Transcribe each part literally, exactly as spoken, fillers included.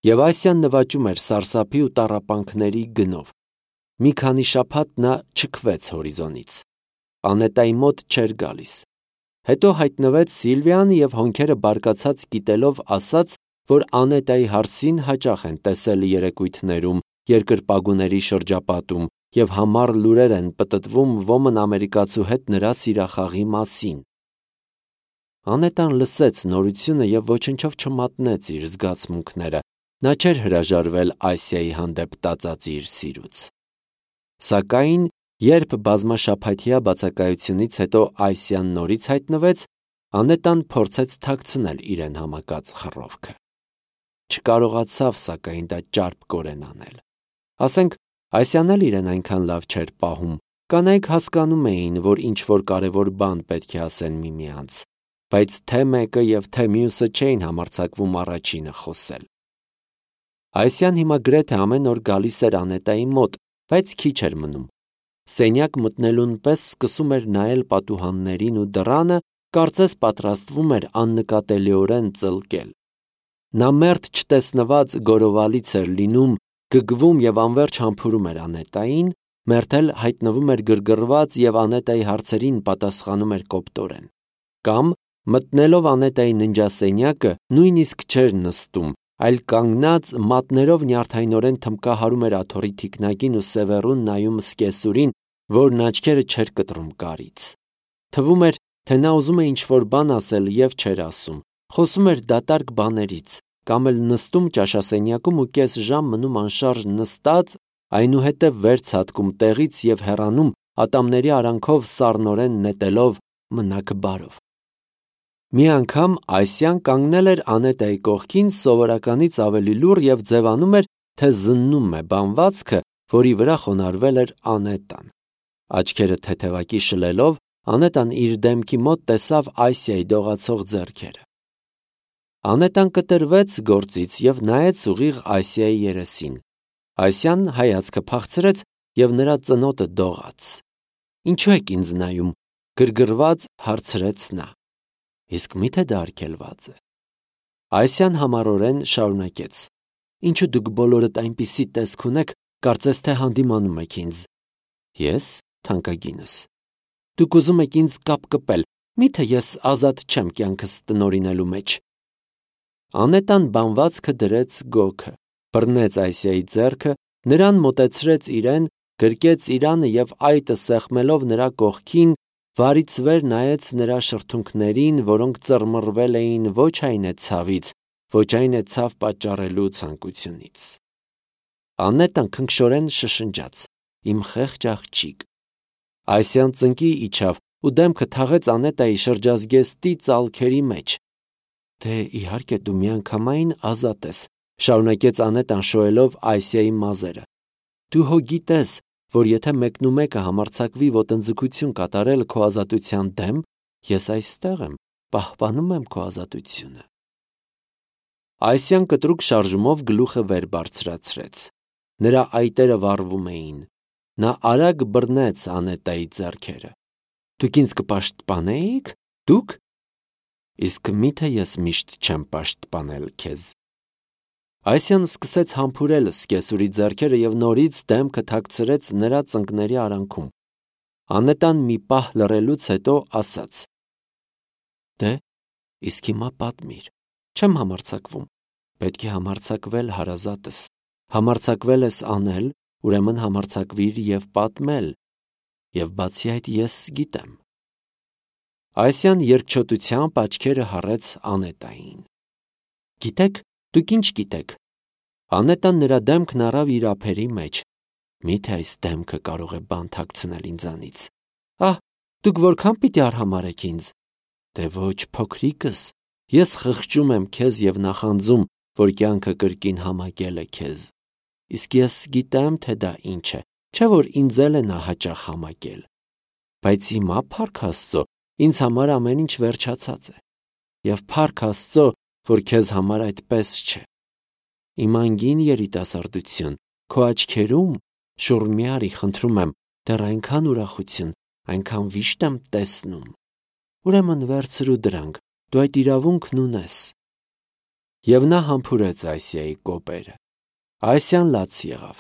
Եվ Ասիան նվաճում էր սարսափի ու տառապանքների գնով։ Մի քանի շաբաթ նա չքվեց հորիզոնից։ Անետայի մոտ չէր գալիս։ Հետո հայտնվեց Սիլվիան և հոնքերը բարկացած կիտելով ասաց, որ Անետայի հարսին հաճախ են տեսել երեկույթներում, երկրպագուների շրջապատում և համառ լուրեր են պտտվում ոմն ամերիկացու հետ նրա սիրախաղի մասին։ Անետան լսեց նորությունը և ոչնչով չմատնեց իր զգացմունքները, նա չէր հրաժարվել Ասիայի հանդեպ տածած իր սիրուց։ Սակայն, երբ բազմաշաբաթյա բացակայությունից հետո Ասիան նորից հայտնվեց, Անետան փորձեց թաքցնել իրեն համակած խռովքը։ Չկարողացավ, սակայն, դա ճարպկորեն անել։ Ասենք, Ասիան էլ իրեն այնքան լավ չէր պահում, կանայք հասկանում էին, որ ինչ-որ կարևոր բան պետք է ասեն միմյանց, բայց թե մեկը և թե մյուսը չէին համարձակվում առաջինը խոսել։ Ասիան հիմա գրեթե ամեն օր գալիս էր Անետայի մոտ, բայց քիչ էր մնում։ Սենյակ մտնելուն պես սկսում էր նայել պատուհաններին ու դռանը, կարծես պատրաստվում էր աննկատելիորեն ծլկել։ Նա մերթ չտեսնված գորովալից էր լինում, գգվում և անվերջ համբուրում էր Անետային, մերթ էլ հայտնվում էր գրգռված և Անետայի հարցերին պատասխանում էր կոպտորեն։ Կամ, մտնելով Անետայի ննջասենյակը, նույնիսկ չէր նստում, այլ կանգնած մատներով նյարդայնորեն թմբկահարում էր աթոռի թիկնակին ու սևեռուն նայում սկեսուրին, որն աչքերը չէր կտրում կարից։ Թվում էր, թե նա ուզում է ինչ-որ բան ասել և չէր ասում, խոսում էր դատարկ բաներից, կամ էլ նստում ճաշասենյակում ու կես ժամ մնում անշարժ նստած, այնուհետև վեր ցատկում տեղից և հեռանում, ատամների արանքով սառնորեն նետելով մնաք բարով։ Մի անգամ Ասիան կանգնել էր Անետայի կողքին սովորականից ավելի լուռ և ձևանում էր, թե զննում է բանվածքը, որի վրա խոնարհվել էր Անետան։ Աչքերը թեթևակի շլելով, Անետան իր դեմքի մոտ տեսավ Ասիայի դողացող ձեռքերը։ Անետան կտրվեց գործից և նայեց ուղիղ Ասիայի երեսին։ Ասիան հայացքը փախցրեց և նրա ծնոտը դողաց։ «Ինչու եք ինձ նայում», գրգռված հարցրեց նա։ «Իսկ մի՞թե դա արգելված է»։ Ասիան համառորեն շարունակեց. «Ինչու դուք բոլորդ այնպիսի տեսք ունեք, կարծես թե հանդիմանում եք ինձ»։ «Ես, թանկագինս»։ «Դուք ուզում եք ինձ կապկպել, մի՞թե ես ազատ չեմ կյանքս տնօրինելու մեջ»։ Անետան բանվածքը դրեց գոգը, բռնեց Ասիայի ձեռքը, նրան մոտեցրեց իրեն, գրկեց իրանը և այտը սեղմելով նրա կողքին, վարից վեր նայեց նրա շրթունքներին, որոնք ծռմռվել էին ոչ այն է ցավից, ոչ այն է ցավ պատճառելու ցանկությունից։ Անետան քնքշորեն շշնջաց. «Իմ խեղճ աղջիկ»։ Ասիան ծնկի իջավ ու դեմքը թաղեց Անետայի շրջազգեստի ծալքերի մեջ։ «Դե, իհարկե, դու միանգամայն ազատ ես», շարունակեց Անետան շոյելով Ասիայի մազերը։ «Դու հո գիտես, որ եթե մեկնումեկը համարձակվի ոտնձգություն կատարել քո ազատության դեմ, ես այստեղ եմ, պահպանում եմ քո ազատությունը»։ Ասիան կտրուկ շարժումով գլուխը վեր բարձրացրեց։ Նրա այտերը վառվում էին։ Նա արագ բռնեց Անետայի ձեռքերը։ «Դուք ինձ կպաշտպանեի՞ք, դուք»։ «Իսկ մի՞թե ես միշտ չեմ պաշտպանել քեզ»։ Ասիան սկսեց համբուրել սկեսուրի ձեռքերը և նորից դեմքը թաքցրեց նրա ծնկների արանքում։ Անետան մի պահ լռելուց հետո ասաց. «Դե, իսկ հիմա պատմիր, չեմ համարձակվում»։ «Պետք է համարձակվել, հարազատս, համարձակվել ես անել, ուրեմն համարձակվիր և պատմել, և բացի այդ ես գիտեմ»։ Ասիան երկչոտությամբ աչքերը հառեց Անետային։ «Գիտեք, դուք ինչ գիտեք»։ Անետան նրա դեմքն առավ իր ափերի մեջ։ «Մի՞թե այս դեմքը կարող է բան թաքցնել ինձանից»։ «Ահ, դուք որքա՞ն պիտի արհամարհեք ինձ»։ «Դե ոչ, փոքրիկս, ես խղճում եմ քեզ և նախանձում, որ կյանքը կրկին համակել է քեզ։ Իսկ ես գիտեմ, թե դա ինչ է, չէ՞ որ ինձ էլ է նա հաճախ համակել։ Բայց հիմա, փառք Աստծո, ինձ համար ամեն ինչ վերջացած է։ Եվ փառք Աստծո, որ քեզ համար այդպես չէ։ Իմ անգին երիտասարդություն, քո աչքերում, շուռ մի արի, խնդրում եմ, դեռ այնքան ուրախություն, այնքան վիշտ եմ տեսնում։ Ուրեմն վերցրու դրանք, դու այդ իրավունքն ունես։ Եվ նա համբուրեց Ասիայի կոպերը։ Ասիան լաց եղավ։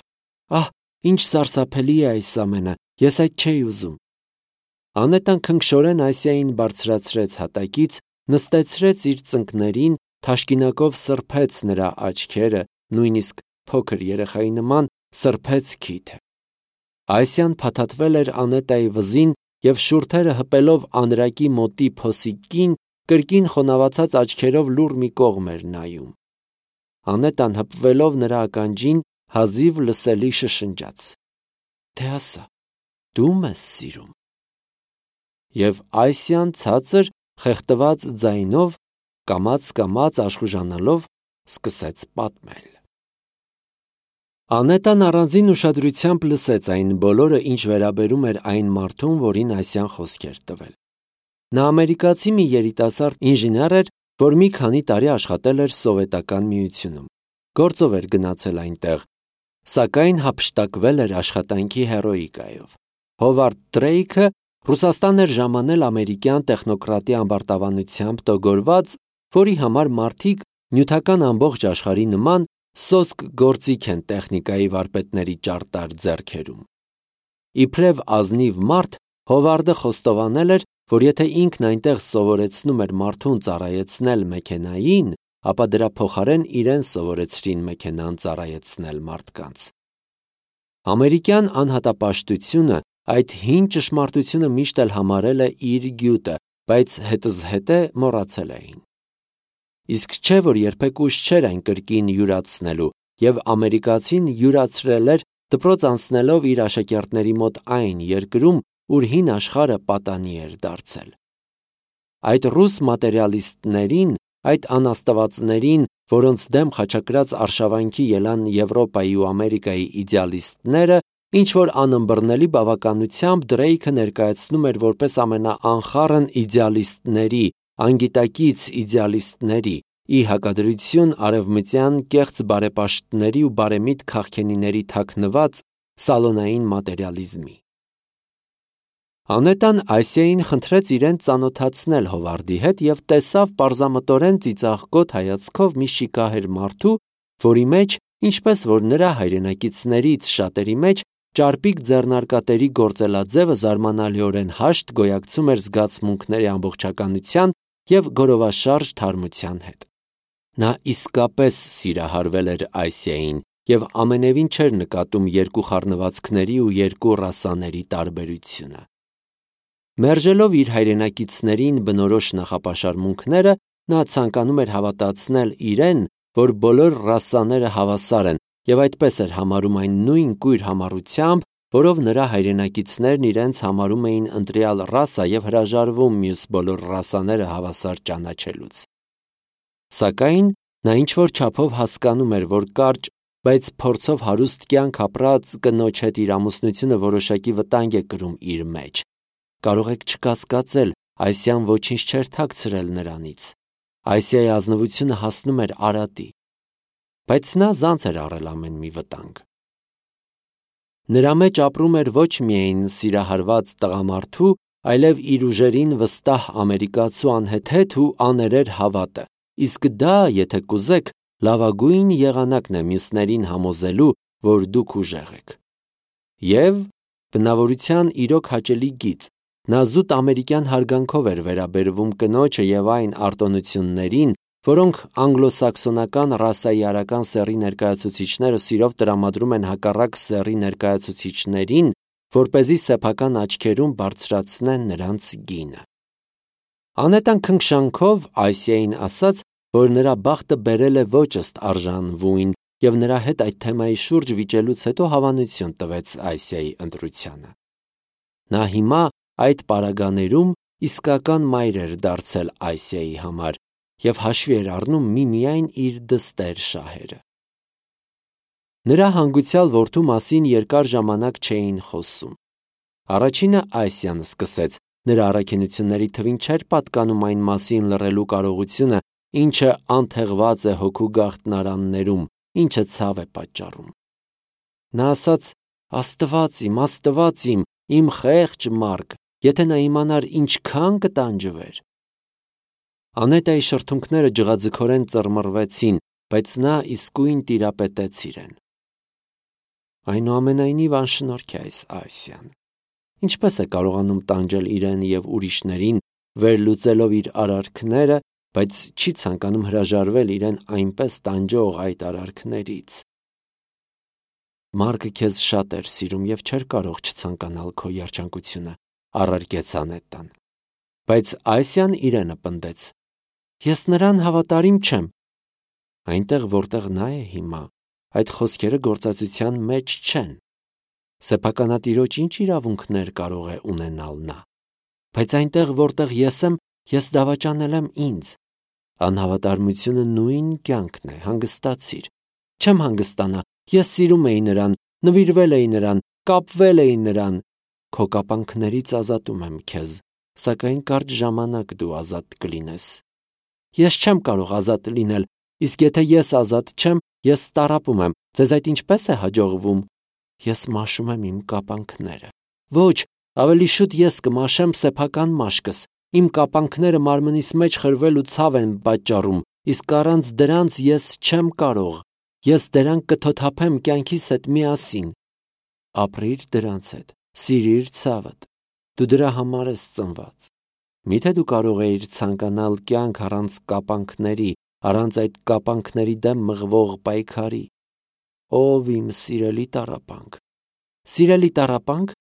Ահ, ինչ սարսափելի է այս ամենը, ես այդ չէի ուզում։ Անետան քնքշորեն Ասիային բարձրացրեց հատակից, նստեցրեց իր ծնկներին, թաշկինակով սրբեց նրա աչքերը, նույնիսկ փոքր երեխայի նման սրբեց քիթը։ Ասիան փաթաթվել էր Անետայի վզին և շուրթերը հպելով անրակի մոտի փոսիկին, կրկին խոնավացած աչքերով լուռ մի կողմ էր նայում։ Անետան հպվելով նրա ականջին հազիվ լսելի շշնջաց. «Դե ասա, դու մեզ սիրում»։ Եվ Ասիան ցածր, խեղդված ձայնով, կամաց-կամաց աշխուժանալով սկսեց պատմել։ Անետան առանձին ուշադրությամբ լսեց այն բոլորը, ինչ վերաբերում էր այն մարդուն, որին Ասիան խոսք էր տվել։ Նա ամերիկացի մի երիտասարդ ինժեներ էր, որ մի քանի տարի աշխատել էր Սովետական Միությունում։ Գործով էր գնացել այնտեղ, սակայն հափշտակվել էր աշխատանքի հերոիկայով։ Հովարդ Դրեյքը Ռուսաստան էր ժամանել ամերիկյան տեխնոկրատի ամբարտավանությամբ տոգորված, որի համար մարդիկ նյութական ամբողջ աշխարհի նման սոսկ գործիք են տեխնիկայի վարպետների ճարտար ձեռքերում։ Իբրև ազնիվ մարդ, Հովարդը խոստովանել էր, որ եթե ինքն այնտեղ սովորեցնում էր մարդուն ծառայեցնել մեքենային, ապա դրա փոխարեն իրեն սովորեցրին մեքենան ծառայեցնել մարդկանց։ Ամերիկյան անհատապաշտությունը այդ հին ճշմարտությունը միշտ էլ համարել է իր գյուտը, բայց հետզհետե մոռացել էին։ Իսկ չէ, որ երբեք ուշ չէր այն կրկին յուրացնելու, և ամերիկացին յուրացրել էր դպրոց անցնելով իր աշակերտների մոտ այն երկրում, ուր հին աշխարհը պատանի էր դարձել։ Այդ ռուս մատերիալիստներին, այդ անաստվածներին, որոնց դեմ խաչակրած արշավանքի ելան Եվրոպայի ու Ամերիկայի իդեալիստները, ինչ-որ անըմբռնելի բավականությամբ Դրեյքը ներկայացնում էր որպես ամենաանխառն իդեալիստների, անգիտակից իդեալիստների, ի հակադրություն արևմտյան կեղծ բարեպաշտների ու բարեմիտ քաղքենիների թաքնված սալոնային մատերիալիզմի։ Անետան Ասիային խնդրեց իրեն ծանոթացնել Հովարդի հետ և տեսավ պարզամտորեն ծիծաղկոտ հայացքով մի շիկահեր մարդու, որի մեջ, ինչպես որ նրա հայրենակիցներից շատերի մեջ, ճարպիկ ձեռնարկատերի գործելաձևը զարմանալիորեն հաշտ գոյակցում էր զգացմունքների ամբողջականության և գորովաշարժ թարմության հետ։ Նա իսկապես սիրահարվել էր Ասիային և ամենևին չէր նկատում երկու խառնվածքների ու երկու ռասաների տարբերությունը։ Մերժելով իր հայրենակիցներին բնորոշ նախապաշարմունքները, նա ցանկանում էր հավատացնել իրեն, որ բոլոր ռասաները հավասար են, և այդպես էր համարում այն նույն կույր համառությամբ, որով նրա հայրենակիցներն իրենց համարում էին ընտրյալ ռասա և հրաժարվում մյուս բոլոր ռասաները հավասար ճանաչելուց։ Սակայն նա ինչ-որ չափով հասկանում էր, որ կարճ, բայց փորձով հարուստ կյանք ապրած կնոջ հետ իր ամուսնությունը որոշակի վտանգ է կրում իր մեջ։ Կարող եք չկասկածել, Ասիան ոչինչ չէր թաքցրել նրանից։ Ասիայի ազնվությունը հասնում էր արատի։ Բայց նա զանց էր առել ամեն մի վտանգ։ Նրա մեջ ապրում էր ոչ միայն սիրահարված տղամարդու, այլև իր ուժերին վստահ ամերիկացու անհեթեթ ու աներեր հավատը, իսկ դա, եթե կուզեք, լավագույն եղանակն է մյուսներին համոզելու, որ դուք ուժեղ եք։ Եվ բնավորության իրոք հաճելի գիծ, նա զուտ ամերիկյան հարգանքով էր վերաբերվում կնոջը և այն արտոնություններին, որոնք անգլոսաքսոնական ռասայի արական սեռի ներկայացուցիչները սիրով տրամադրում են հակառակ սեռի ներկայացուցիչներին, որպեսզի սեփական աչքերում բարձրացնեն նրանց գինը։ Անետան քնքշանքով Ասիային ասաց, որ նրա բախտը բերել է ոչ ըստ արժանվույն, և նրա հետ այդ թեմայի շուրջ վիճելուց հետո հավանություն տվեց Ասիայի ընտրությանը։ Նա հիմա այդ պարագաներում իսկական մայր էր դարձել Ասիայի համար և հաշվի էր առնում միմիայն իր դստեր շահերը։ Նրա հանգուցյալ որդու մասին երկար ժամանակ չէին խոսում։ Առաջինը Ասիան սկսեց, նրա առաքինությունների թվին չէր պատկանում այն մասին լռելու կարողությունը, ինչը անթեղված է հոգու գաղտնարաններում, ինչը ցավ է պատճառում։ Նա ասաց. «Աստված իմ, Աստված իմ, իմ խեղճ Մարգ, եթե նա իմանար ինչքան կտանջվեր»։ Անետայի շրթունքները ջղաձգորեն ծռմռվեցին, բայց նա իսկույն տիրապետեց իրեն։ Այնուամենայնիվ անշնորհք է այս Ասիան։ Ինչպես է կարողանում տանջել իրեն և ուրիշներին, վերլուծելով իր արարքները, բայց չի ցանկանում հրաժարվել իրեն այնպես տանջող այդ արարքներից։ Մարկը քեզ շատ էր սիրում և չէր կարող չցանկանալ քո երջանկությունը, առարկեց Անետան։ Բայց Ասիան իրենը պնդեց. Ես նրան հավատարիմ չեմ։ Այնտեղ, որտեղ նա է հիմա, այդ խոսքերը գործածության մեջ չեն։ Սեփականատիրոջ ինչ իրավունքներ կարող է ունենալ նա։ Բայց այնտեղ, որտեղ ես եմ, ես դավաճանել եմ ինձ։ Անհավատարմությունը նույն կյանքն է, հանգստացիր։ Չեմ հանգստանա, ես սիրում էի նրան, նվիրվել էի նրան, կապվել էի նրան։ Քո կապանքներից ազատում եմ քեզ, սակայն կարճ ժամանակ դու ազատ կլինես։ Ես չեմ կարող ազատ լինել, իսկ եթե ես ազատ չեմ, ես տառապում եմ։ Ձեզ այդ ինչպես է հաջողվում։ Ես մաշում եմ իմ կապանքները։ Ոչ, ավելի շուտ ես կմաշեմ սեփական մաշկս։ Իմ կապանքները մարմնիս մեջ խրվել ու ցավ են պատճառում, իսկ առանց դրանց ես չեմ կարող։ Ես դրանք կթոթափեմ կյանքիս հետ միասին։ Ապրիր դրանց հետ, սիրիր ցավդ։ Դու դրա համար ես ծնված։ Միթե դու կարող էիր ցանկանալ կյանք առանց կապանքների, առանց այդ կապանքների դեմ մղվող պայքարի։ Ով իմ սիրելի տառապանք։ Սիրելի տառապանք,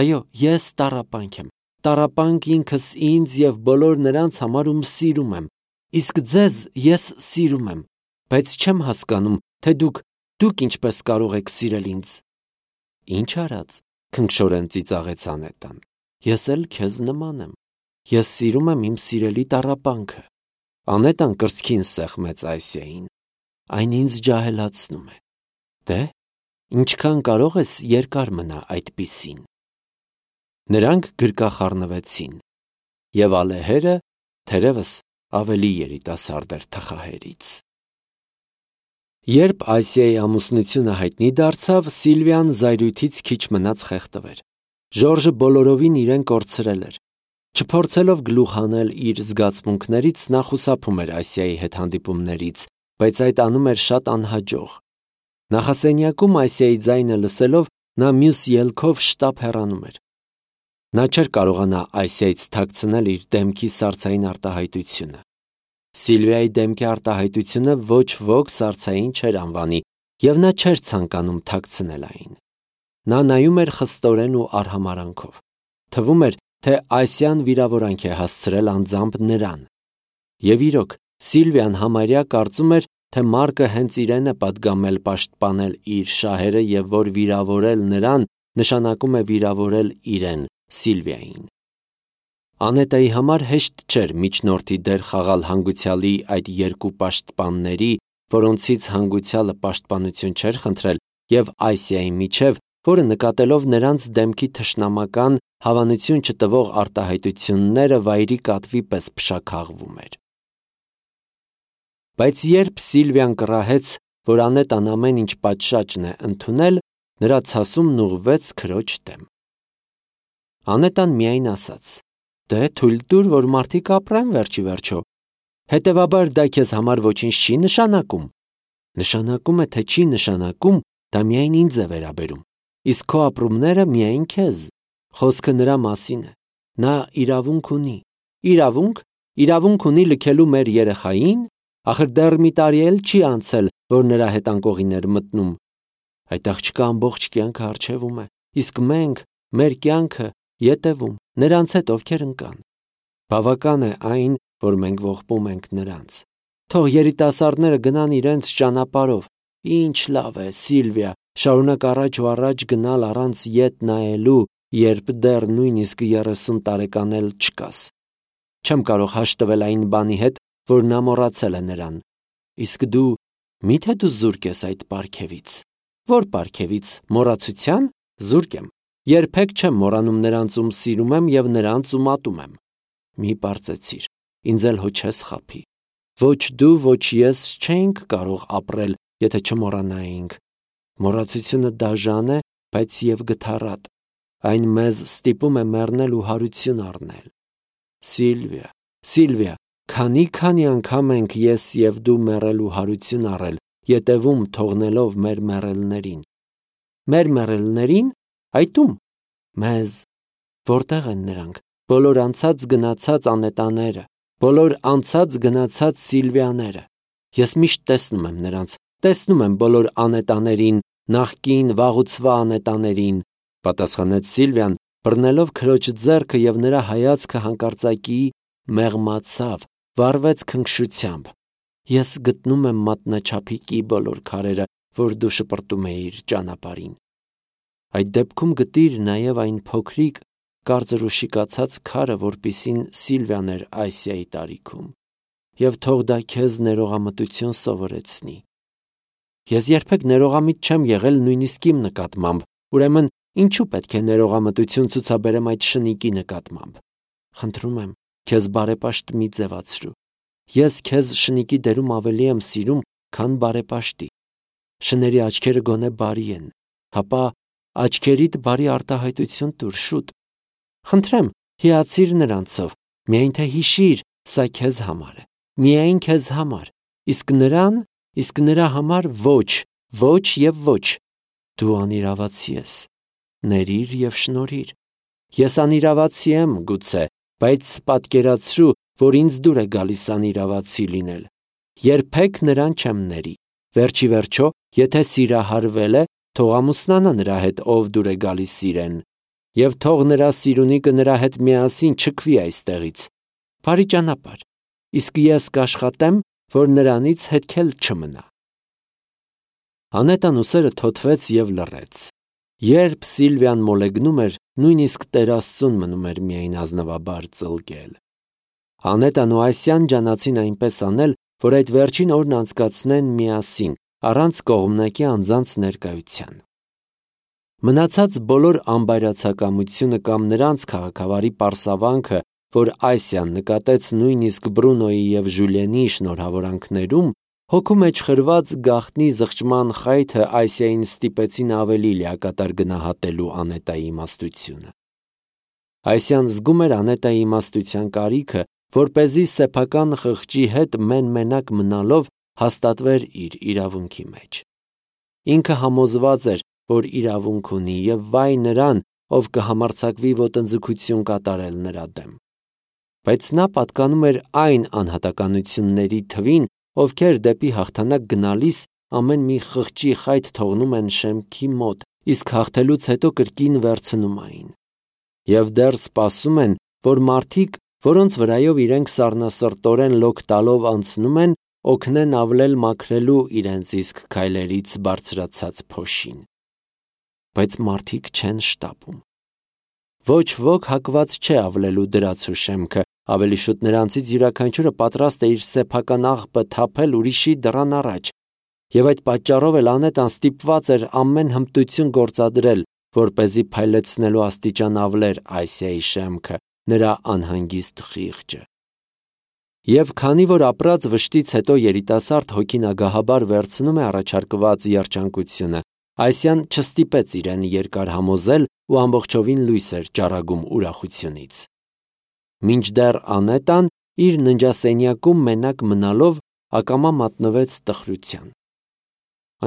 այո, ես տառապանք եմ։ Տառապանք ինքս ինձ և բոլոր նրանց համար, ում սիրում եմ։ Իսկ ձեզ ես սիրում եմ, բայց չեմ հասկանում, թե դուք, դուք ինչպես կարող եք սիրել ինձ։ Ինչ արած, քնքշորեն ծիծաղեց Անետան։ Ես էլ քեզ նման եմ։ Ես սիրում եմ իմ սիրելի տառապանքը։ Անետան կրծքին սեղմեց Ասիային։ Այն ինձ ջահելացնում է։ Դե, ինչքան կարող ես երկար մնա այդպիսին։ Նրանք գրկախառնվեցին, և ալեհերը թերևս ավելի երիտասարդ էր թխահերից։ Երբ Ասիայի ամուսնությունը հայտնի դարձավ, Սիլվիան զայրույթից քիչ մնաց խեղդվեր։ Ժորժը բոլորովին իրեն կորցրել էր։ Չփորձելով գլուխ հանել իր զգացմունքներից, նա խուսափում էր Ասիայի հետ հանդիպումներից, բայց այդ անում էր շատ անհաջող։ Նախասենյակում Ասիայի ձայնը լսելով, նա մյուս ելքով շտապ հեռանում էր։ Նա չէր կարողանա Ասիայից թաքցնել իր դեմքի սառցային արտահայտությունը։ Սիլվիայի դեմքի արտահայտությունը ոչ ոք սառցային չէր անվանի, և նա չէր ցանկանում թաքցնել այն։ Նա նայում էր խստորեն ու արհամարհանքով։ Թվում էր, թե Ասիան վիրավորանք է հասցրել անձամբ նրան։ Եվ իրոք, Սիլվիան համարյա կարծում էր, թե Մարկը հենց իրեն է պատգամել պաշտպանել իր շահերը և որ վիրավորել նրան նշանակում է վիրավորել իրեն, Սիլվիային։ Անետայի համար հեշտ չէր միջնորդի դեր խաղալ հանգուցյալի այդ երկու պաշտպանների, որոնցից հանգուցյալը պաշտպանություն չէր խնդրել, և Ասիայի միջև, որը նկատելով նրանց դեմքի թշնամական, հավանություն չտվող արտահայտությունները վայրի կատվի պես փշաքաղվում էր։ Բայց երբ Սիլվիան կռահեց, որ Անետան ամեն ինչ պատշաճն է ընդունել, նրա ցասումն ուղղվեց քրոջ դեմ։ Անետան միայն ասաց. «Դե թույլ տուր, որ մարդիկ ապրեն վերջի վերջո։ Հետևաբար դա քեզ համար ոչինչ չի նշանակում։ Նշանակում է, թե չի նշանակում, դա միայն ինձ է վերաբերում։ Իսկ քո ապրումները միայն քեզ։ Խոսքը նրա մասին է։ Նա իրավունք ունի։ Իրավունք, իրավունք ունի լքելու մեր երեխային։ Ախր դեռ մի տարի էլ չի անցել, որ նրա հետ անկողին էր մտնում։ Այդ աղջկա ամբողջ կյանքը առջևում է, իսկ մենք, մեր կյանքը ետևում, նրանց հետ, ովքեր ընկան։ Բավական է այն, որ մենք ողբում ենք նրանց։ Թող երիտասարդները գնան իրենց ճանապարհով։ Ինչ լավ է, Սիլվիա, շարունակ առաջ ու առաջ գնալ առանց ետ նայելու, երբ դեռ նույնիսկ երեսուն տարեկան էլ չկաս։ Չեմ կարող հաշտվել այն բանի հետ, որ նա մոռացել է նրան։ Իսկ դու, միթե դու զուրկ ես այդ պարգևից։ Որ պարգևից, մոռացության, զուրկ եմ։ Երբեք չեմ մոռանում նրանց, ում սիրում եմ և նրանց, ում ատում եմ։ Մի պարծեցիր, ինձ էլ հո չես խաբի։ Ոչ դու, ոչ ես չէինք կարող ապրել, եթե չմոռանայինք։ Մոռացությունը դաժան է, բայց և գթառատ։ Այն մեզ ստիպում է մեռնել ու հարություն առնել։ Սիլվիա, Սիլվիա, Քանի-քանի անգամ ենք ես և դու մեռելու հարություն առել, ետևում թողնելով մեր մեռելներին։ Մեր մեռելներին, այդ ում։ Մեզ։ Որտեղ են նրանք, բոլոր անցած գնացած անետաները, բոլոր անցած գնացած Սիլվիաները։ Ես միշտ տեսնում եմ նրանց, տեսնում եմ բոլոր անետաներին, նախկին վաղուցվա անետաներին, պատասխանեց Սիլվիան, բռնելով քրոջ ձեռքը, և նրա հայացքը հանկարծակի մեղմացավ, վառվեց քնքշությամբ։ Ես գտնում եմ մատնաչափիկի բոլոր քարերը, որ դու շպրտում էիր ճանապարհին։ Այդ դեպքում գտիր նաև այն փոքրիկ, կարծր ու շիկացած քարը, որպիսին Սիլվիան էր Այսիայի տարիքում, և թող դա քեզ ներողամտություն սովորեցնի։ Ես երբեք ներողամիտ չեմ եղել նույնիսկ իմ նկատմամբ, ուրեմն ինչու պետք է ներողամտություն ցուցաբերեմ այդ շնիկի նկատմամբ։ Խնդրում եմ, քեզ բարեպաշտ մի ձևացրու։ Ես քեզ շնիկի դերում ավելի եմ սիրում, քան բարեպաշտի։ Շների աչքերը գոնե բարի են, հապա աչքերիդ բարի արտահայտություն տուր շուտ։ Խնդրեմ, հիացիր նրանցով, միայն թե հիշիր, սա քեզ համար է, միայն քեզ համար, իսկ նրան, իսկ նրա համար ոչ, ոչ և ոչ։ Դու անիրավացի ես, ներիր և շնորհիր։ Ես անիրավացի եմ, գուցե, բայց պատկերացրու, որ ինձ դուր է գալիս անիրավացի լինել։ Երբեք նրան չեմ ների։ Վերջի վերջո, եթե սիրահարվել է, թող ամուսնանա նրա հետ, ով դուր է գալիս սիրեն, և թող նրա սիրունիկը նրա հետ միասին չքվի այստեղից։ Բարի ճանապարհ, իսկ ես կաշխատեմ, որ նրանից հետք էլ չմնա։ Անետան ուսերը թոթվեց և լռեց։ Երբ Սիլվիան մոլեգնում էր, նույնիսկ Տեր Աստծուն մնում էր միայն ազնվաբար ծլկել։ Անետան ու Այսիան ջանացին այնպես անել, որ այդ վերջին օրն անցկացնեն միասին, առանց կողմնակի անձանց ներկայության։ Մնացած բոլոր անբայրացակամությունը կամ նրանց քաղաքավարի պարսավանքը, որ Այսիան նկատեց նույնիսկ Բրունոյի և Ժուլիենի շնորհավորանքներում, հոգու մեջ խրված գաղտնի զղջման խայթը Այսիային ստիպեցին ավելի լիակատար գնահատելու Անետայի իմաստությունը։ Այսիան զգում էր Անետայի իմաստության կարիքը, որպեսզի սեփական խղճի հետ մեն-մենակ մնալով հաստատվեր իր իրավունքի մեջ։ Ինքը համոզված էր, որ իրավունք ունի, և վայ նրան, ով կհամարձակվի ոտնձգություն կատարել նրա դեմ։ Բայց նա պատկանում էր այն անհատականությունների թվին, ովքեր դեպի հաղթանակ գնալիս ամեն մի խղճի խայթ թողնում են շեմքի մոտ, իսկ հաղթելուց հետո կրկին վերցնում այն։ Եվ դեռ սպասում են, որ մարդիկ, որոնց վրայով իրենք սառնասրտորեն լոկ տալով անցնում են, օգնեն ավլել մաքրելու իրենց իսկ քայլերից բարձրացած փոշին։ Բայց մարդիկ չեն շտապում։ Ոչ ոք հակված չէ ավլելու դրացու շեմքը, ավելի շուտ նրանցից յուրաքանչյուրը պատրաստ է իր սեփական աղբը թափել ուրիշի դռան առաջ, և այդ պատճառով էլ Անետան ստիպված էր ամեն հմտություն գործադրել, որպեսզի փայլեցնելու աստիճան ավլեր Այսիայի շեմքը, նրա անհանգիստ խիղճը։ Եվ քանի որ ապրած վշտից հետո երիտասարդ հոգին ագահաբար վերցնում է առաջարկված երջանկությունը, Այսիան չստիպեց իրեն երկար համոզել ու ամբողջովին լույս էր ճառագում ուրախությունից։ Մինչդեռ Անետան իր ննջասենյակում մենակ մնալով ակամա մատնվեց տխրության։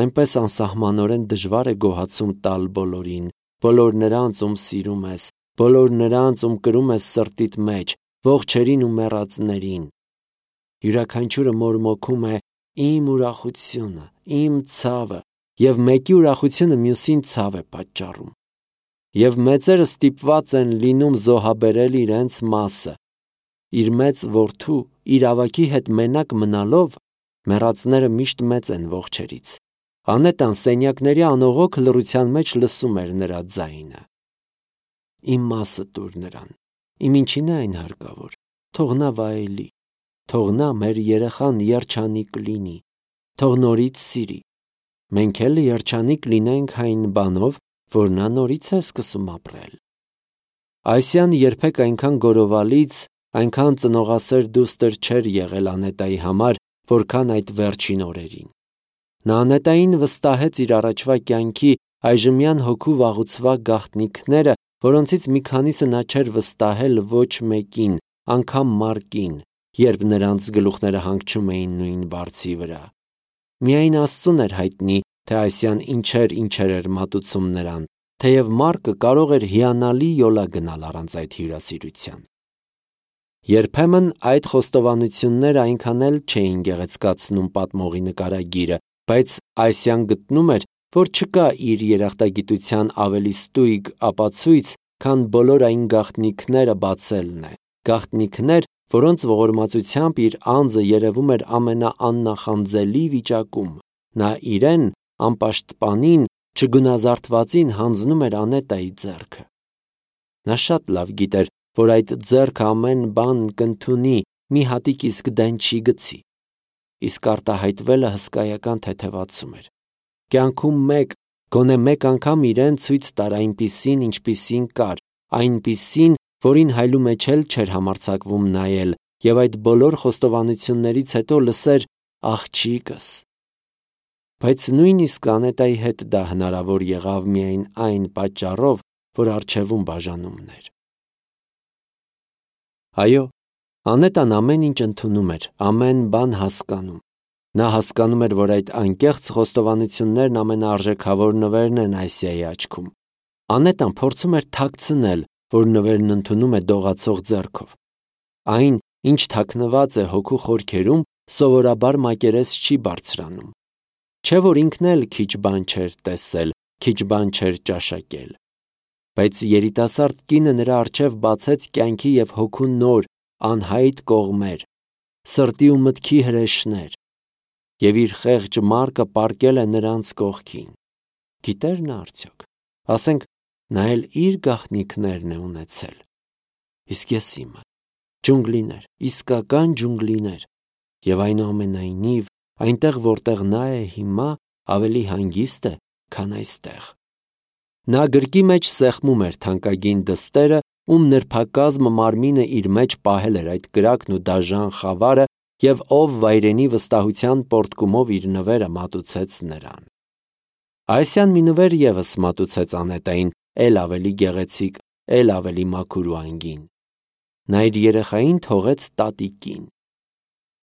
Այնպես անսահմանորեն դժվար է գոհացում տալ բոլորին, բոլոր նրանց, ում սիրում ես, բոլոր նրանց, ում կրում ես սրտիդ մեջ, ողջերին ու մեռածներին։ Յուրաքանչյուրը մորմոքում է իմ ուրախությունը, իմ ցավը, և մեկի ուրախությունը մյուսին ցավ է պատճառում։ Եվ մեծերը ստիպված են լինում զոհաբերել իրենց մասը։ Իր մեծ որդու, իր ավագի հետ մենակ մնալով, մեռածները միշտ մեծ են ողջերից։ Անետան սենյակների անողոք լռության մեջ լսում էր նրա ձայնը։ Իմ մասը տուր նրան, իմ ինչին է այն հարկավոր, թող նա վայելի, թող նա մեր երեխան երջանիկ լինի, թող նորից սիրի։ Մենք էլ երջանիկ լինենք այն բանով, որ նա նորից է սկսում ապրել։ Այսիան երբեք այնքան գորովալից, այնքան ծնողասեր դուստր չէր եղել Անետայի համար, որքան այդ վերջին օրերին։ Նա Անետային վստահեց իր առաջվա կյանքի այժմյան հոգու վաղուցվա գաղտնիքները, որոնցից մի քանիսը նա չէր վստահել ոչ մեկին, անգամ Մարկին, երբ նրանց գլուխները հանգչում էին նույն բարձի վրա։ Միայն Աստծուն էր հայտնի, թե Այսյան ինչեր ինչեր էր մատուցում նրան, թեև Մարկը կարող էր հիանալի յոլա գնալ առանց այդ հյուրասիրության։ Երբեմն այդ խոստովանությունները այնքան էլ չէին գեղեցկացնում պատմողի նկարագիրը, բայց Այսյան գտնում էր, որ չկա իր երախտագիտության ավելի ստույգ ապացույց, քան բոլոր այն գաղտնիքները բացելն է, գաղտնիքներ, որոնց ողորմածությամբ իր անձը երևում էր ամենաաննախանձելի վիճակում։ Նա իրեն, անպաշտպանին, չգունազարդվածին հանձնում էր Անետայի ձեռքը։ Նա շատ լավ գիտեր, որ այդ ձեռքը ամեն բան կընդունի, մի հատիկ իսկ դեն չի գցի։ Իսկ արտահայտվելը հսկայական թեթևացում էր։ Կյանքում մեկ, գոնե մեկ անգամ իրեն ցույց տար այնպիսին, ինչպիսին կար, այնպիսին, որին հայլու մեջ էլ չէր համարձակվում նայել, եւ այդ բոլոր խոստովանություններից հետո լսեր աղջիկս։ Բայց նույնիսկ Անետայի հետ դա հնարավոր եղավ միայն այն պատճառով, որ առջևում բաժանումներ։ Այո, Անետան ամեն ինչ ընդունում էր, ամեն բան հասկանում։ Նա հասկանում էր, որ այդ անկեղծ խոստովանություններն ամենաարժեքավոր նվերն են Այսիայի աչքում։ Անետան փորձում էր թաքցնել, որ նվերն ընդունում է դողացող ձեռքով։ Այն, ինչ թաքնված է հոգու խորքերում, սովորաբար մակերես չի բարձրանում։ Չէ որ ինքն էլ քիչ բան չէր տեսել, քիչ բան չէր ճաշակել։ Բայց երիտասարդ կինը նրա առջև բացեց կյանքի և հոգու նոր, անհայտ կողմեր, սրտի ու մտքի հրեշներ, և իր խեղճ Մարկը պառկել է նրանց կողքին։ Գիտեր նա արդյոք, ասենք, նա էլ իր գաղտնիքներն է ունեցել։ Իսկ ես իմը, ջունգլիներ, իսկական ջունգլիներ, և այնուամենայնիվ, այնտեղ, որտեղ նա է հիմա, ավելի հանգիստ է, քան այստեղ։ Նա գրկի մեջ սեղմում էր թանկագին դստերը, ում նրբակազմ մարմինը իր մեջ պահել էր այդ կրակն ու դաժան խավարը, և ով վայրենի վստահության պոռթկումով իր նվերը մատուցեց նրան։ Այսյան մի նվեր ևս մատուցեց Անետային, էլ ավելի գեղեցիկ, էլ ավելի մաքուր ու անգին։ Նա իր երեխային թողեց տատիկին։